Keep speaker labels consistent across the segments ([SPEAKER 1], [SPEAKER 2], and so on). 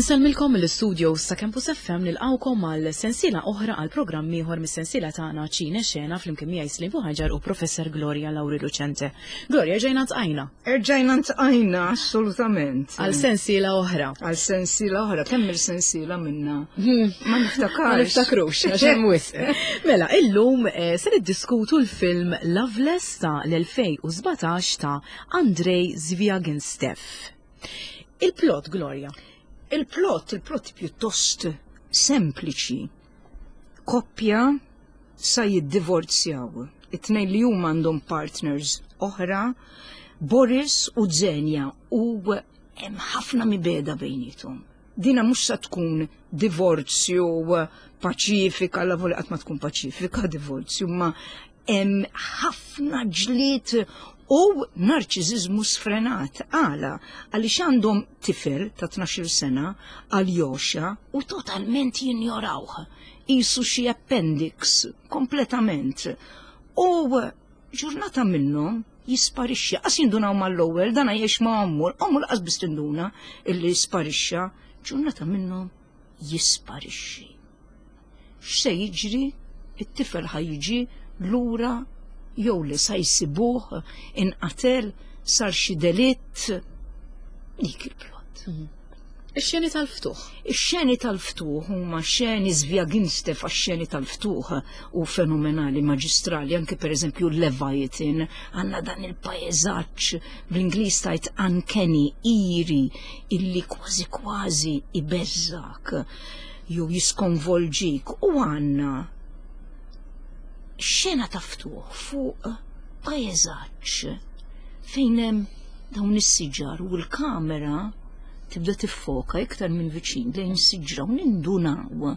[SPEAKER 1] Insellmilkom mill-istudios ta' Campus FM nilqgħukom għal sensiela oħra għal programm ieħor mis-sensiela tagħna Ċine Xena flimkien miegħi Slim Buħaġar u Professor Gloria Lauri Lucente. Gloria, ġejna ntqajna.
[SPEAKER 2] Erġajna ntqajna, assolutament.
[SPEAKER 1] Għal sensiela oħra.
[SPEAKER 2] Għal sensiela oħra, kemm il-sensiela minna? Ma niftakarx.
[SPEAKER 1] Ma niftakrux, għax hemm wisq. Mela, illum eh, se niddiskutu l-film Loveless ta' l-2017 ta' Andrei Zviaginstev. Il-plot, Gloria.
[SPEAKER 2] Il-plot, il-plot pjuttost sempliċi. Koppja sa jiddivorzjaw. It-tnejn li huma għandhom partners oħra, Boris u Zenja, u hemm ħafna mibeda bejnietom. Dina mhux sa tkun divorzju paċifika, la voli qatt ma tkun paċifika divorzju, ma hemm ħafna ġlied u narċiżiżmu sfrenat. Għala, għaliex għandhom tifel ta' 12 sena, Aljosha, u totalment jinjorawh. Qisu xi appendix, kompletament. U ġurnata minnhom jisparixxi, qas jindunaw mal-ewwel, dana jgħix ma' ommu, ommu laqas biss tinduna illi sparixxa, ġurnata minnhom jisparixxi. X'se jiġri? It-tifel ħa jiġi lura jew le sa jsibuh, inqatel, sar xi delitt? Dik il-plot.
[SPEAKER 1] Mhm. Ix-xeni tal-ftuħ.
[SPEAKER 2] Ix-xeni tal-ftuħ huma xeni Zviaginstev għax-xeni tal-ftuħ u fenomenali maġistrali, anke pereżempju Leviathan, għandna dan il-paeżaġġ bl-Ingliż tajt uncanny, iri, illi kważi kważi ibeżżak jew jiskonvolġik u għandna xena ta' ftuħ fuq paeżaġġ fejn hemm dawn is-siġar u l-kamera tibda tiffoka iktar minn viċin lejn siġra u nindunaw.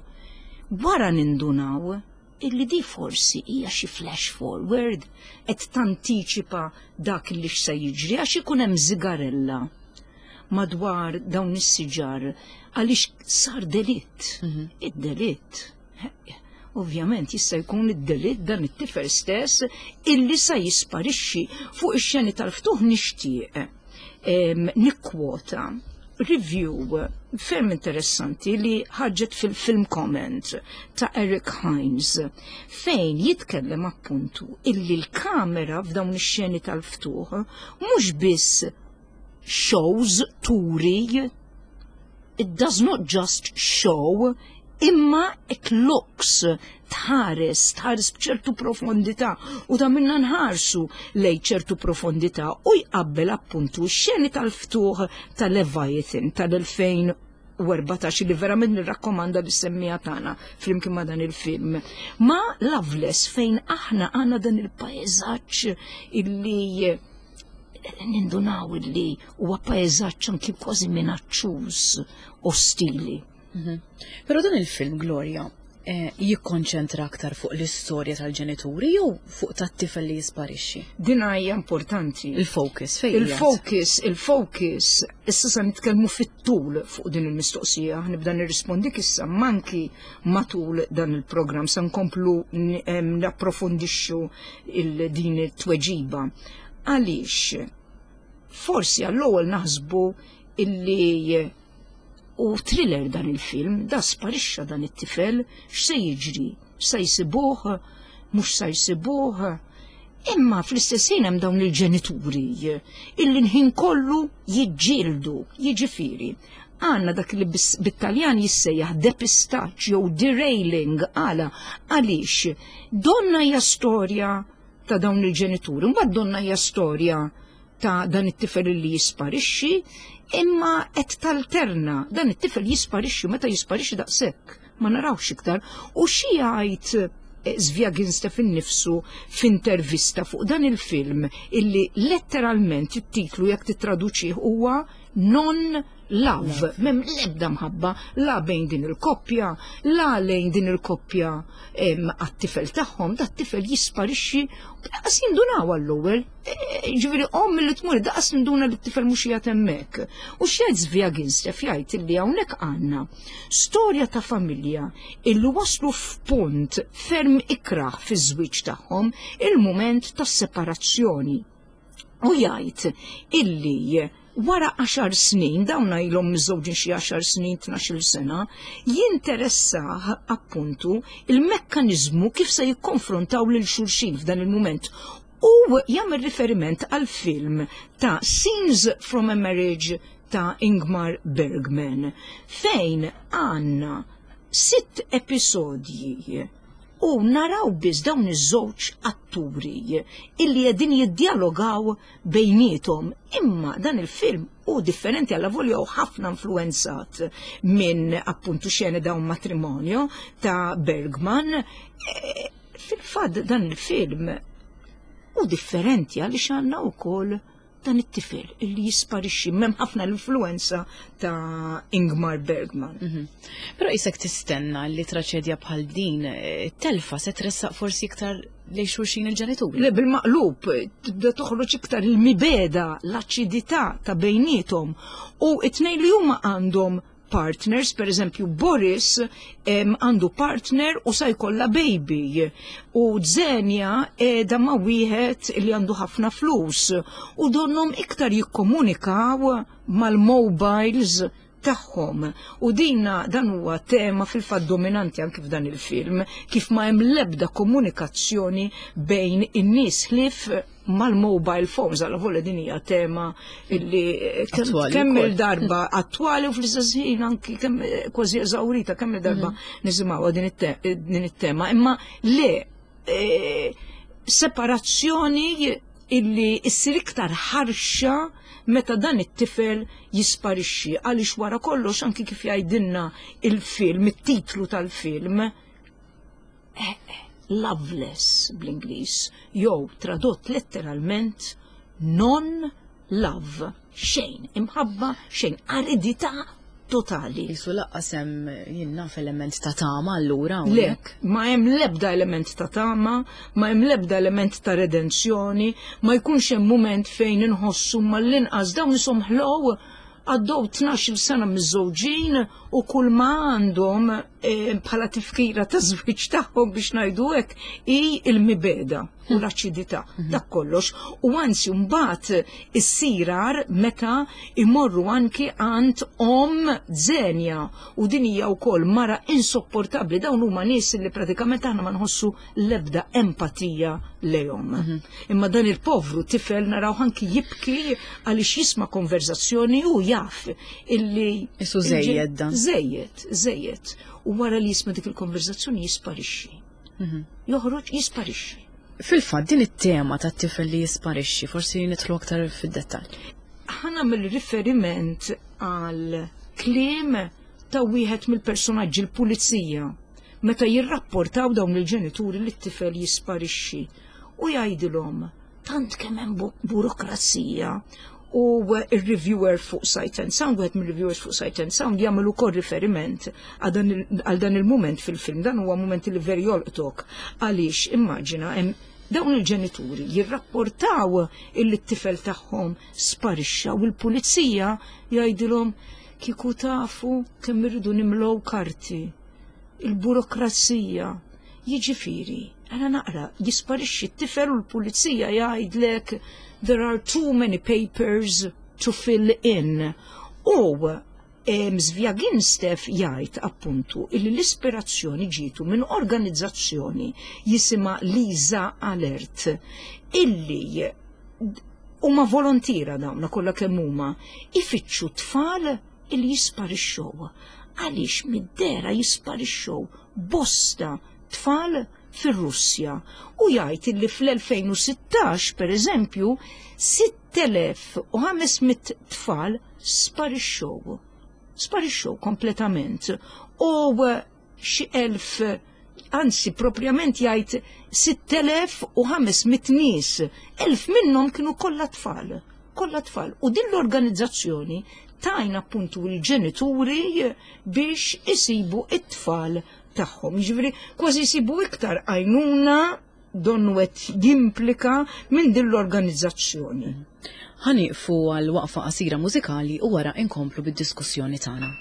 [SPEAKER 2] Wara nindunaw illi di forsi hija xi flash forward qed tantiċipa dak li x'se jiġri għax ikun hemm żigarella madwar dawn is-siġar għaliex sar delitt. Mhm. Id-delitt. Ovvjament jista' jkun id-delitt dan it-tifel stess illi sa jisparixxi fuq ix-xeni tal-ftuħ nixtieq nikkwota review ferm interessanti li ħarġet fil-film comment ta' Eric Hines fejn jitkellem appuntu illi l-kamera f'dawn ix-xeni tal-ftuħ mhux biss shows turi it does not just show imma it looks tħares, tħares b'ċertu profondità u ta' minna nħarsu lej ċertu profondità u jqabbel appuntu x-xeni tal-ftuħ tal-Leviathan tal-2014 li verament nirrakkomanda li semmija tagħna flimkien ma' dan il-film. Ma Loveless fejn aħna għandna dan il-paeżaġġ illi nindunaw illi huwa paeżaġġ anki kważi minaċċuż, ostili.
[SPEAKER 1] Mhm. Però dan il-film, Gloria, eh, jikkonċentra aktar fuq l-istorja tal-ġenituri jew fuq tat-tifel li jisparixxi?
[SPEAKER 2] Din hija importanti.
[SPEAKER 1] Il-focus fejn
[SPEAKER 2] Il-focus, il-focus, issa se nitkellmu fit-tul fuq din il-mistoqsija, nibda nirrispondik issa manki matul dan il-programm se nkomplu napprofondixxu din it-tweġiba. Għaliex forsi għall-ewwel naħsbu illi u thriller dan il-film, da sparixxa dan it-tifel, x'se jiġri? Se jsibuh? Mhux se jsibuh? Imma fl-istess ħin hemm dawn il-ġenituri illi l-ħin kollu jiġġieldu, jiġifieri għandna dak li bit-Taljan jissejjaħ depistaġġ jew derailing għala għaliex donna hija storja ta' dawn il-ġenituri, mbagħad donna hija storja ta' dan it-tifel li jisparixxi, imma qed talterna dan it-tifel jisparixxi meta jisparixxi daqshekk ma narawx iktar u xi jgħid eh, Zviaginstev innifsu f'intervista fuq dan il-film illi letteralment it-titlu jekk tittraduċih huwa non love, mem lebda mħabba la bejn din il-koppja, la lejn din il-koppja għat-tifel tagħhom, dat tifel jisparixxi daqas jindunaw għall-ewwel. E, e, ġifieri omm li tmur daqas ninduna li t-tifel mhux qiegħed hemmhekk. U x'jgħid Zviaginstev jgħid illi hawnhekk għandna storja ta' familja illi waslu f'punt ferm ikrah fiż-żwieġ tagħhom il-mument tas-separazzjoni. U jgħid illi. Wara għaxar snin, dawn ilhom miżżewġin xi għaxar snin, 12-il sena, jinteressah appuntu il-mekkaniżmu kif se jikkonfrontaw lil xulxin f'dan il-mument. U jagħmel riferiment għal film ta' Scenes from a Marriage ta' Ingmar Bergman, fejn għandna sitt episodji u naraw biss dawn iż-żewġ atturi illi qegħdin jiddjalogaw bejniethom. Imma dan il-film hu differenti alla volja u ħafna influenzat minn appuntu xene dawn matrimonio ta' Bergman. E, fil-fatt dan il-film hu differenti għaliex għandna wkoll dan it-tifel illi jisparixxi m'hemm ħafna l-influenza ta' Ingmar Bergman. Mhm.
[SPEAKER 1] Però isek tistenna li traċedja bħal din eh, telfa se tressaq forsi iktar lejn xulxin il-ġenituri.
[SPEAKER 2] Le bil-maqlub tibda toħroġ iktar il-mibeda, l-aċidità ta' bejnietom u it-tnejn li huma għandhom partners, per eżempju Boris għandu partner u sa jkollha baby u Zenja qiegħda ma' wieħed li għandu ħafna flus u donhom iktar jikkomunikaw mal-mobiles tagħhom. U dina dan huwa tema fil-fatt dominanti anki f'dan il-film, kif ma hemm l-ebda komunikazzjoni bejn in-nies ħlief mal-mobile phones, għal volja din hija tema illi eh, kemm il-darba attwali u fl-istess ħin anki kemm eh, kważi eżawrita kemm il-darba mhm. nisimgħuha din it-tema. Imma le eh, separazzjoni illi issir iktar ħarxa meta dan it-tifel jisparixxi għaliex wara kollox anki kif jgħidilna il-film, it-titlu tal-film, eh, eh, loveless bl-Ingliż, jew tradott letteralment non-love, xejn, imħabba xejn, aridità totali.
[SPEAKER 1] Jisu laqqas hemm jien naf element ta' tama allura
[SPEAKER 2] Le, ma hemm l-ebda element ta' tama, ma hemm l-ebda element ta' redenzjoni, ma jkunx hemm mument fejn inħossu mal-inqas dawn ishom ħlow għaddew 12-il sena miżżewġin u kull ma għandhom eh, bħala tifkira ta' żwieġ tagħhom biex ngħidu hekk hi l-mibeda u l-aċidità mhm. dak kollox. U anzi mbagħad issirar meta imorru anki għand om Zenja u din hija wkoll mara insopportabbli dawn huma nies li pratikament aħna ma nħossu l-ebda empatija lejhom. Mhm. Imma dan il-povru tifel naraw anki jibki għaliex jisma' konverzazzjoni u jaf illi
[SPEAKER 1] Isu żejjed dan.
[SPEAKER 2] Żejjed, żejjed. U wara li jisma' dik il-konverzazzjoni jisparixxi. Mhm. Joħroġ jisparixxi.
[SPEAKER 1] Fil-fatt din it-tema tat-tifel li jisparixxi forsi nidħlu aktar fid-dettall.
[SPEAKER 2] Ħa nagħmel riferiment għal kliem ta' wieħed mill-personaġġi l-pulizija meta jirrapportaw dawn il-ġenituri li t-tifel jisparixxi u jgħidilhom tant kemm hemm burokrazija u il-reviewer fuq Sight and Sound, wieħed mill-reviewers fuq Sight and Sound jagħmel ukoll riferiment għal dan il-mument fil-film, dan huwa mument li veri jolqtok għaliex immaġina hemm dawn il-ġenituri jirrapportaw illi t-tifel tagħhom sparixxa u l-pulizija jgħidilhom kieku tafu kemm irridu nimlow karti il-burokrazija. Jiġifieri, għana naqra, jisparixxi t-tifel u l-pulizija jgħidlek there are too many papers to fill in. U Zviaginstev jgħid appuntu illi l-ispirazzjoni ġietu minn organizzazzjoni jisimha Lisa Alert illi huma volontira dawna kollha kemm huma ifittxu tfal illi jisparixxew. Għaliex mid-dehra jisparixxew bosta tfal fir-Russja u jgħid illi fl-2016 per eżempju 6500 tfal sparixxew. Sparixxew kompletament. U xi 1000 anzi propjament jgħid 6500 nies, 1000 minnhom kienu kollha tfal, kollha tfal. U din l-organizzazzjoni tajna appuntu l-ġenituri biex isibu it-tfal tagħhom. Jiġifieri kważi jsibu iktar għajnuna donnu qed jimplika minn din l-organizzazzjoni.
[SPEAKER 1] Ħa nieqfu għal waqfa qasira mużikali u wara inkomplu bid-diskussjoni tagħna.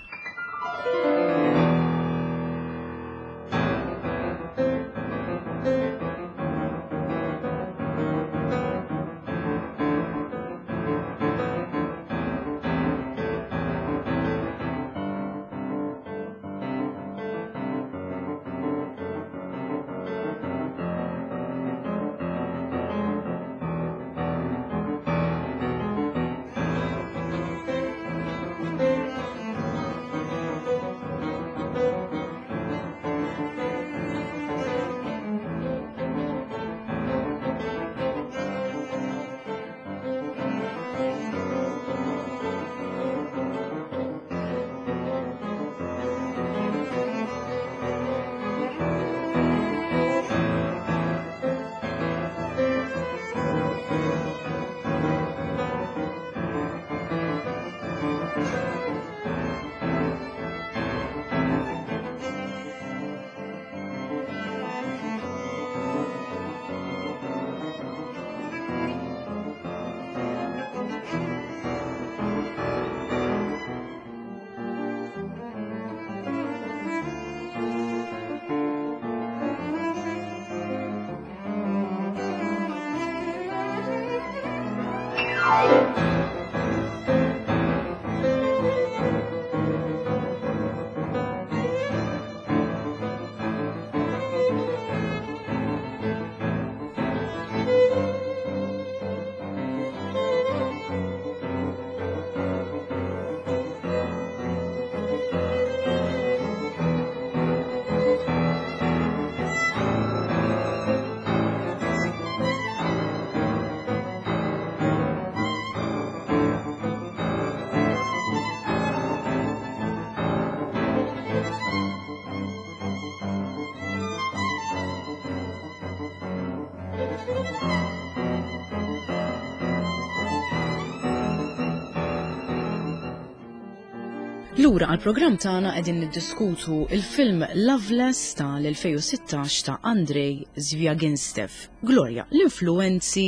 [SPEAKER 1] Lura għall-programm tagħna qegħdin niddiskutu il-film Loveless tal-2016 ta' Andrei Zviaginstev. Gloria, l-influenzi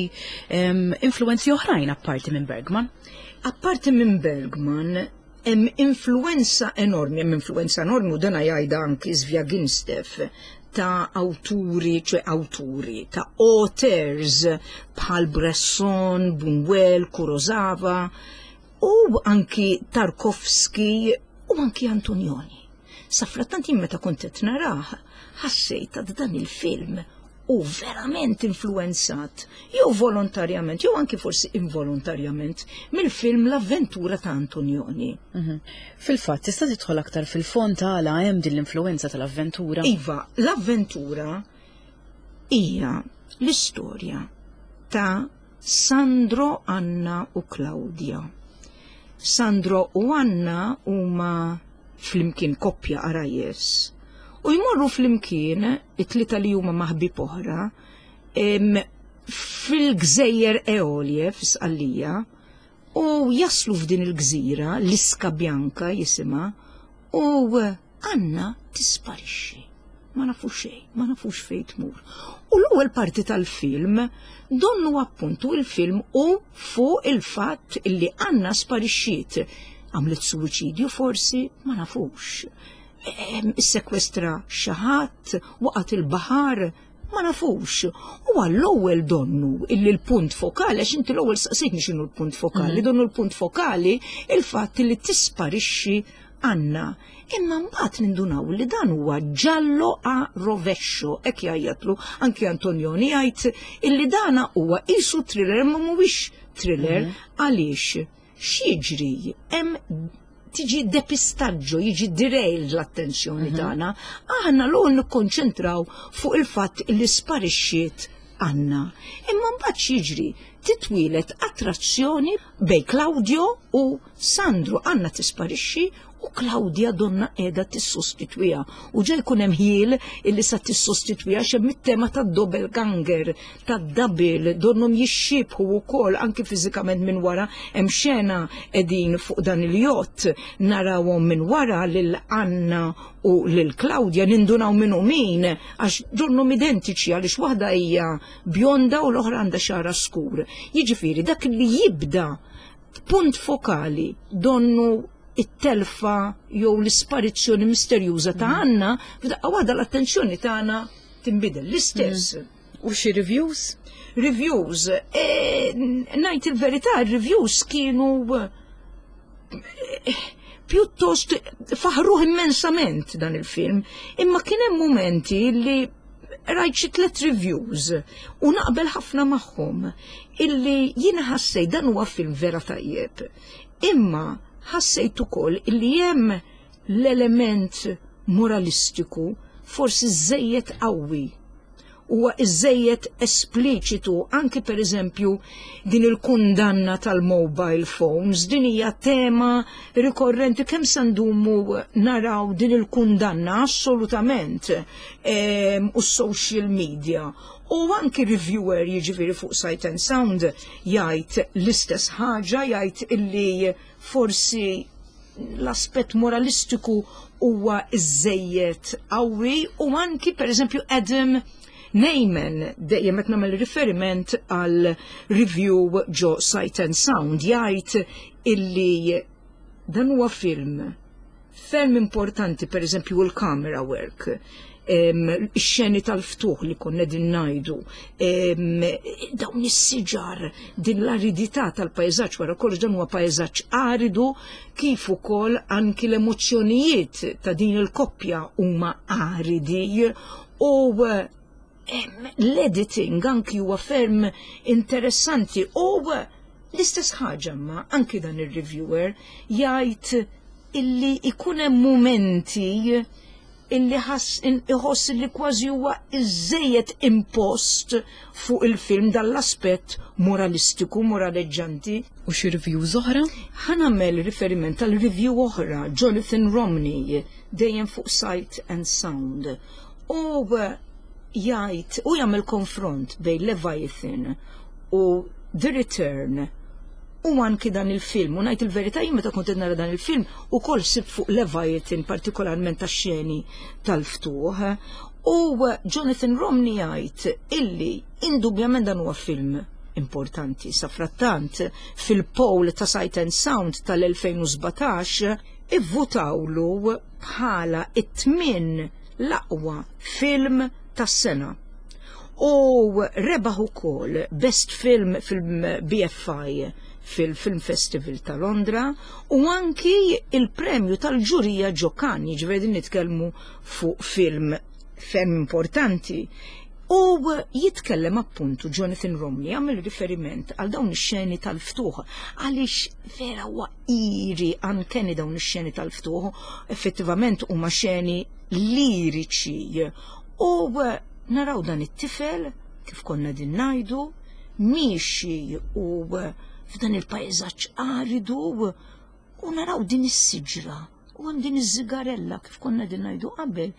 [SPEAKER 1] influenzi oħrajn apparti minn Bergman?
[SPEAKER 2] Apparti minn Bergman, hemm influenza enormi, hemm influenza enormi u dana jgħidha anki Zviaginstev ta' awturi, ċe awturi, ta' auteurs bħal Bresson, Buñuel, Kurosawa, u anki Tarkovsky u anki Antonioni. Safrattant jien meta kont qed narah, ħassejt ta' dan il-film u verament influenzat, jew volontarjament, jew anki forsi involontarjament, mill-film L-Avventura ta' Antonioni. Mhm.
[SPEAKER 1] Fil-fatt, tista' tidħol aktar fil-fond għala hemm din l-influenza tal-avventura?
[SPEAKER 2] Iva, l-avventura hija l-istorja ta' Sandro, Anna u Claudia. Sandro u Anna huma flimkien koppja għarajjes u jmorru flimkien it-tlieta li huma ma' ħbieb oħra fil-gżejjer Eolie f'Sqallija u jaslu f'din il-gżira, l-Iska Bianca jisimha, u Anna tisparixxi. Ma nafu xejn, ma nafux fejn tmur. U l-ewwel parti tal-film donnu appuntu il-film u fuq il-fatt illi Anna sparixxiet. Għamlet suwiċidju forsi, ma nafux. Issekwestra xi ħadd, waqgħet il-baħar, ma nafux. U għall-ewwel donnu illi l-punt fokali, għax inti l-ewwel saqsejtni x'inhu l-punt fokali, mhm. donnu l-punt fokali il-fatt li tisparixxi Anna. Imma mbagħad nindunaw li dan huwa giallo a rovescio, hekk jgħajjatlu anki Antonioni jgħid illi dana huwa qisu thriller imma mhuwiex thriller mhm. għaliex x'jiġri hemm tiġi depistaggio, jiġi derailed l-attenzjoni mhm. tagħna. Aħna l nikkonċentraw fuq il-fatt li sparixxiet Anna. Imma mbagħad x'jiġri? Titwieled attrazzjoni bejn Claudio u Sandro. Anna tisparixxi u Claudia donna qiegħda tissostitwiha. U ġa jkun hemm ħjiel illi sa tissostitwiha x'hemm it-tema tad-doppelganger, tad-double, donnhom jixxiebħu wkoll anki fiżikament minn wara hemm xena qegħdin fuq dan il-jott narawhom minn wara lil Anna u lil Claudia nindunaw min hu min għax donnhom identiċi għaliex waħda hija bjonda u l-oħra għandha xagħarha skur. Jiġifieri dak li jibda punt fokali donnu it-telfa jew l-isparizzjoni misterjuża ta' mm. Anna, f'daqqa waħda l-attenzjoni tagħna tinbidel l-istess. Mm.
[SPEAKER 1] U xi reviews?
[SPEAKER 2] Reviews, e, ngħid il-verità, reviews kienu e, pjuttost faħruh immensament dan il-film, imma kien hemm momenti li rajt xi tliet reviews u naqbel ħafna magħhom illi jiena ħassejt dan huwa film vera tajjeb. Imma ħassejt ukoll illi hemm l-element moralistiku forsi żejjed qawwi huwa iżejjed espliċitu anki pereżempju din il-kundanna tal-mobile phones, din hija tema rikorrenti kemm se ndumu naraw din il-kundanna assolutament u s-social media. U anki reviewer jiġifieri fuq Sight and Sound jgħid l-istess ħaġa, jgħid illi forsi l-aspett moralistiku huwa iżejjed qawwi u anki pereżempju Adam Neyman dejjem qed nagħmel riferiment għal review ġo Sight and Sound jgħid illi dan huwa film ferm importanti pereżempju l-camera work ix-xeni tal-ftuħ li konna din ngħidu, dawn is-siġar, din l-aridità tal-pajżaġġ wara kollox dan huwa pajżaġġ aridu kif ukoll anki l-emozzjonijiet ta' din il-koppja huma aridi u l-editing anki huwa ferm interessanti u l-istess ħaġa ma anki dan ir-reviewer jgħid illi ikun hemm mumenti illi iħoss li kważi huwa iżejjed impost fuq il-film dan l-aspett moralistiku, moraleġġanti.
[SPEAKER 1] U xi reviews oħra?
[SPEAKER 2] Ħa nagħmel riferiment għal review oħra, Jonathan Romney, dejjem fuq Sight and Sound. U jgħid u jagħmel konfront bejn Leviathan u The Return. U anki dan il-film, u ngħid il-verità jien meta kont qed nara dan il-film ukoll sibt fuq Leviathan partikolarment tax-xeni tal-ftuħ. U Jonathan Romney jgħid illi indubjament dan huwa film importanti. Sa frattant fil-poll ta' Sight and Sound tal-2017 ivvutawlu bħala it-tmien l-aqwa film tas-sena. U rebaħ ukoll Best Film fil-BFI fil-Film Festival ta' Londra u anki il-premju tal-ġurija ġo Cannes, jiġifieri din nitkellmu fuq film ferm importanti. U jitkellem appuntu Jonathan Romney għamel riferiment għal dawn ix-xeni tal-ftuħ għaliex vera huwa iri uncanny dawn ix-xeni tal-ftuħ, effettivament huma xeni liriċi. U naraw dan it-tifel kif konna din ngħidu miexi u f'dan il-pajżaġġ aridu u naraw din is-siġra u hemm din iż-żigarella kif konna din ngħidu qabel,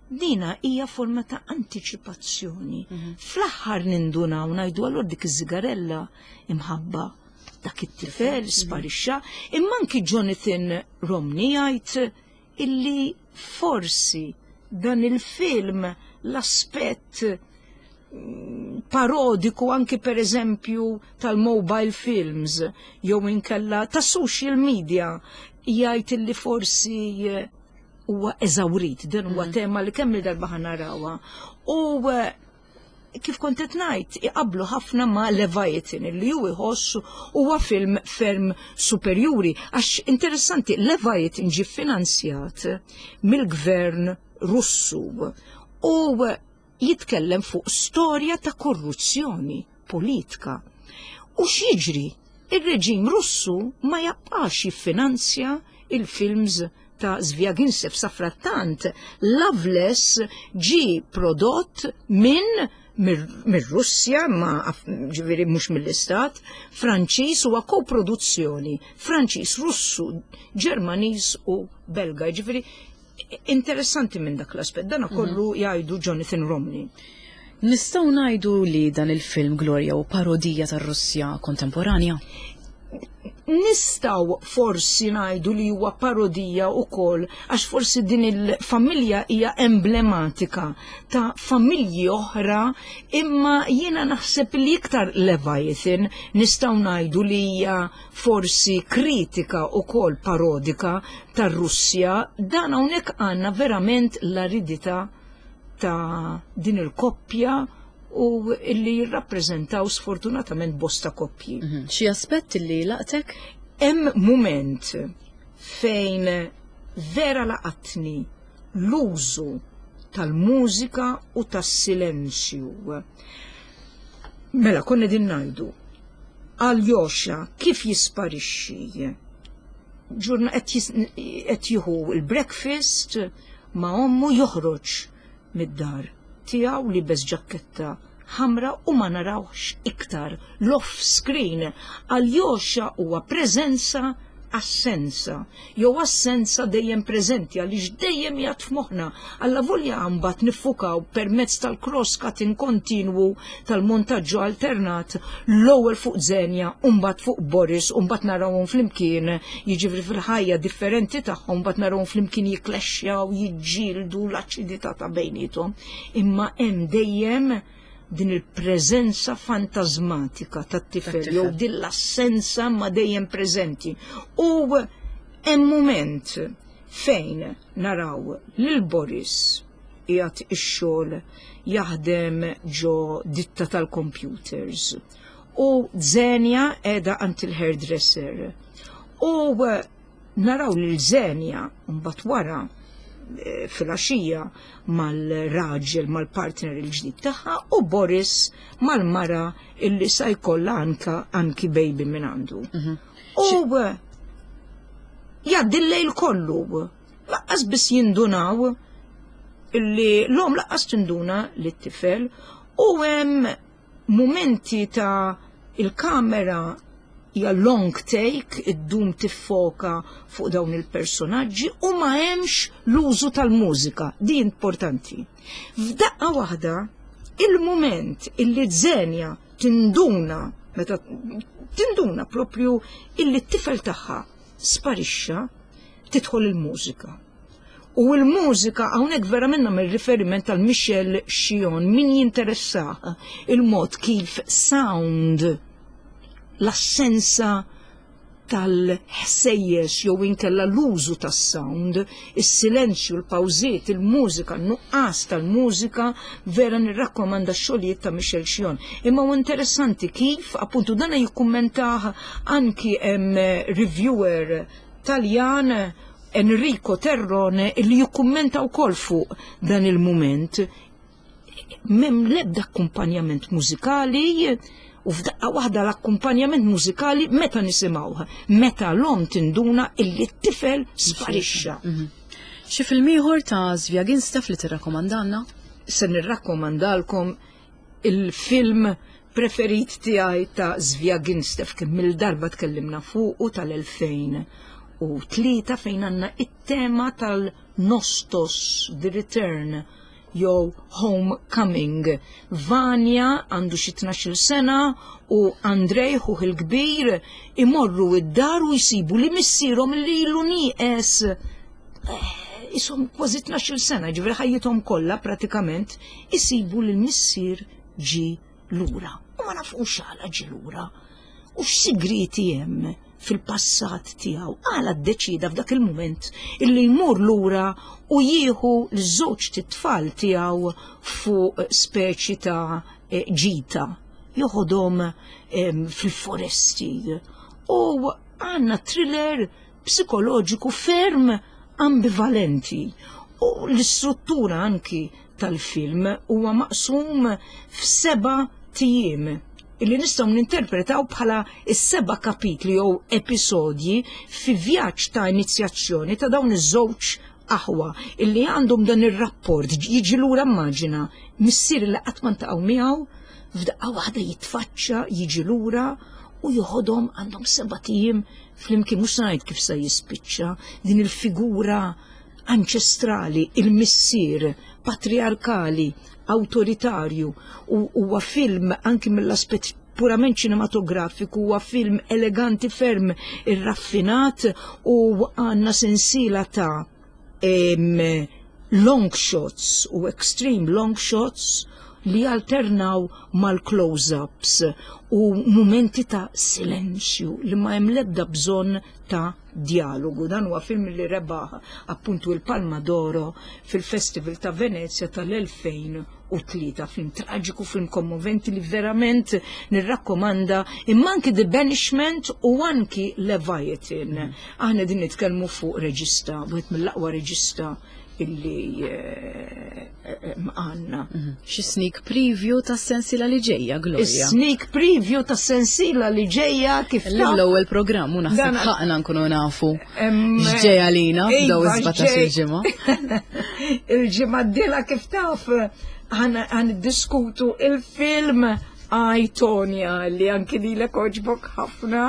[SPEAKER 2] dina hija forma ta' antiċipazzjoni. Fl-aħħar nindunaw ngħidu allura dik iż-żigarella imħabba dak it-tifel sparixxa, imma anki Jonathan Romney jgħid illi forsi dan il-film l-aspett parodiku anki per eżempju tal-mobile films jew inkella ta' social media jgħid illi forsi huwa eżawrit, din huwa tema li kemm il-darba ħa narawha. U kif kont qed ngħid, iqablu ħafna ma' Leviathan illi hu jħoss huwa film ferm superjuri għax interessanti Leviathan ġie finanzjat mill-gvern Russu u jitkellem fuq storja ta' korruzzjoni politika. U x'jiġri? Ir-reġim Russu ma jabqax jiffinanzja il-films ta' Zviagintsev. Safrattant Loveless ġie prodott minn mir-Russja, ma ġifieri mhux mill-Istat Franċiż, huwa koproduzzjoni Franċiż, Russu, Ġermaniż u Belga. Ġifieri interessanti minn dak l-aspett, dana kollu jgħidu Jonathan Romney.
[SPEAKER 1] Nistgħu ngħidu li dan il-film Gloria u parodija tar-Russja kontemporanja?
[SPEAKER 2] Nistgħu forsi ngħidu li huwa parodija wkoll għax forsi din il-familja hija emblematika ta' familji oħra, imma jiena naħseb li iktar Leviathan nistgħu ngħidu li hija forsi kritika wkoll parodika tar-Russja. Dan hawnhekk għandna verament l-aridità ta' din il-koppja u illi jirrappreżentaw sfortunatament bosta koppji.
[SPEAKER 1] Xi aspett li laqtek?
[SPEAKER 2] Hemm mument fejn vera laqatni l-użu tal-mużika u tas-silenzju. Mela, konna din ngħidu, Aljosha kif jisparixxi? Ġurna qed jieħu l-breakfast ma' ommu, joħroġ mid-dar tiegħu li bes ġakketta ħamra u ma narawx iktar l-off screen. Aljosha huwa preżenza assenza, jew assenza dejjem preżenti għaliex dejjem jgħad f'moħħna. Alla volja mbagħad niffukaw permezz tal-cross cutting kontinwu tal-montaġġu alternat l-ewwel fuq Zenja u mbagħad fuq Boris u mbagħad narawhom flimkien, jiġifieri fil-ħajja differenti tagħhom, mbagħad narawhom flimkien jikklexxjaw, jiġġieldu l-aċidità ta' bejniethom. Imma hemm dejjem din il-preżenza fantasmatika tat-tifel jew din l-assenza ma dejjem preżenti. U hemm mument fejn naraw lil Boris qiegħed ix-xogħol jaħdem ġo ditta tal-computers u Zenja qiegħda għand il-hairdresser. U naraw lil Zenja mbagħad wara filgħaxija mal-raġel, mal-partner il-ġdid tagħha u Boris mal-mara illi sa jkollha anki baby minn għandu. U jgħaddi l-lejl kollu, laqqas biss jindunaw illi l-om laqqas tinduna li t-tifel u hemm momenti ta' il-kamera hija long take, iddum tiffoka fuq dawn il-personaġġi u ma hemmx l-użu tal-mużika, di importanti. F'daqqa waħda, il-moment illi Zenja tinduna Meta tinduna propju illi t-tifel tagħha sparixxa, tidħol il-mużika. U l-mużika hawnhekk verament nagħmel riferiment tal Michel Chion min jinteressah il-mod kif sound l-assenza tal-ħsejjes jew inkella l-użu tas-sound, is-silenzju, l-pawżiet, il-mużika, n-nuqqas tal-mużika, vera nirrakkomanda x-xogħlijiet ta' Michel Chion. Imma huwa interessanti kif appuntu dana jikkummentah anki hemm reviewer Taljan Enrico Terrone illi jikkummenta wkoll fuq dan il-mument. M'hemm l-ebda akkumpanjament mużikali u f'daqqa waħda l-akkumpanjament mużikali meta nisimgħuh, meta l-omm tinduna illi t-tifel sparixxa. Mhm.
[SPEAKER 1] Xi film ieħor ta' Zviaginstev li tirrakkomandanna?
[SPEAKER 2] Se nirrakkomandalkom il-film preferit tiegħi ta' Zviaginstev kien mill-darba tkellimna fuqu tal-2003 fejn għandna it-tema tal-Nostos, The Return jew Homecoming. Vanja għandu xi 12-il sena u Andrej ħuh il-kbir imorru id-dar u jsibu li missierhom li ilu nieqes eh, isom kważi 12-il sena, ġifieri ħajjithom kollha pratikament, isibu li l-missier ġi lura. U ma nafux għala ġi lura. U x'sigrieti hemm fil-passat tiegħu għala ddeċida f'dak il-mument illi jmur lura u jieħu l-żewġ titfal tiegħu fuq speċi ta' eh, ġita joħodhom fil-foresti. U għandna thriller psikoloġiku ferm ambivalenti u l-istruttura anki tal-film huwa maqsum f'seba' tijiem illi nistgħu ninterpretaw bħala s-seba' kapitli jew episodji fi vjaġġ ta' inizjazzjoni ta' dawn iż-żewġ aħwa illi għandhom dan ir-rapport jiġi lura immaġina missier li qatt ma ntaqgħu miegħu f'daqqa waħda jitfaċċa jiġi lura u joħodhom għandhom seba' tijiem flimkien mhux ngħid kif se jispiċċa din il-figura anċestrali, il-missier patriarkali, awtoritarju u huwa film anki mill-aspett purament ċinematografiku huwa film eleganti ferm irraffinat u għandna sensiela ta' long shots u extreme long shots li alternaw mal-close-ups u mumenti ta' silenzju li ma hemm l-ebda bżonn ta' djalogu. Dan huwa film li rebaħ appuntu il-Palma d'Oro fil-Festival ta' Venezia tal-2003. Film traġiku, film kommoventi li verament nirrakkomanda imma anki The Banishment u anki Leviathan. Aħna din nitkellmu fuq reġista, wieħed mill-aqwa reġista illi eh, eh, għanna. Mhm.
[SPEAKER 1] Xi sneak preview ta' sensila li ġejja, Gloria.
[SPEAKER 2] Sneak preview ta' sensila li ġejja kif
[SPEAKER 1] L-ewwel programm u naħseb ħaqna nkunu nafu x'ġejja lina f'daw
[SPEAKER 2] iva,
[SPEAKER 1] is-17 il-ġimgħa.
[SPEAKER 2] Il-ġimgħa d-dieħla kif taf għan diskutu il-film I, Tonya, li anki li l-oġbok ħafna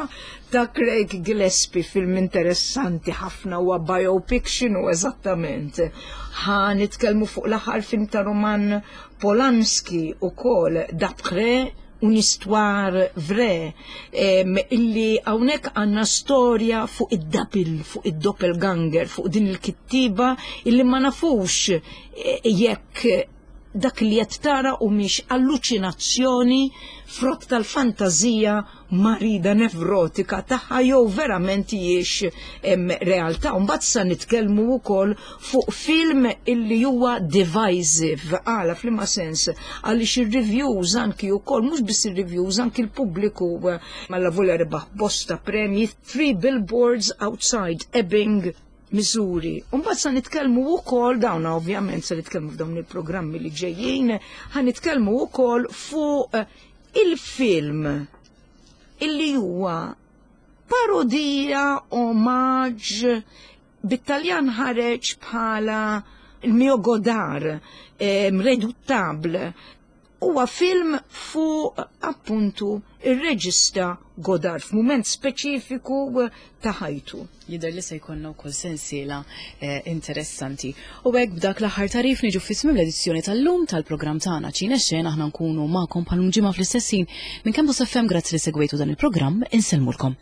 [SPEAKER 2] ta' Craig Gillespie, film interessanti ħafna huwa biopic x'inhu eżattament. Ħa nitkellmu fuq l-aħħar film ta' Roman Polanski ukoll D'après une histoire vraie illi hawnhekk għandna storja fuq id-double, fuq id-doppelganger, fuq din il-kittiba illi ma nafux eh, jekk dak li qed tara u mhix alluċinazzjoni frott tal-fantażija marida nevrotika tagħha jew verament hijiex realtà. Mbagħad sa nitkellmu wkoll fuq film illi huwa divisive għala f'liema sens għaliex ir-reviews anki wkoll mhux biss ir-reviews anki l-pubbliku malla volja rebaħ bosta premji Three Billboards Outside Ebbing Missouri. Mbagħad sa nitkellmu wkoll dawn ovvjament se nitkellmu f'dawn il-programmi li ġejjin, ħa nitkellmu wkoll fuq il-film illi huwa parodija omaġġ bit-Taljan ħareġ bħala il mio Godard, Reduttable. Huwa film fuq appuntu ir-reġista Godard f'mument speċifiku ta' ħajtu.
[SPEAKER 1] Jidher li se jkollna wkoll sensiela eh, interessanti. U hekk b'dak l-aħħar tarif niġu fi tmiem l-edizzjoni tal-lum tal-programm tagħna Ċine Xena aħna nkunu magħkom bħal ġimgħa fl-istess ħin minn Campus FM grazzi li segwejtu dan il-programm insellmulkom.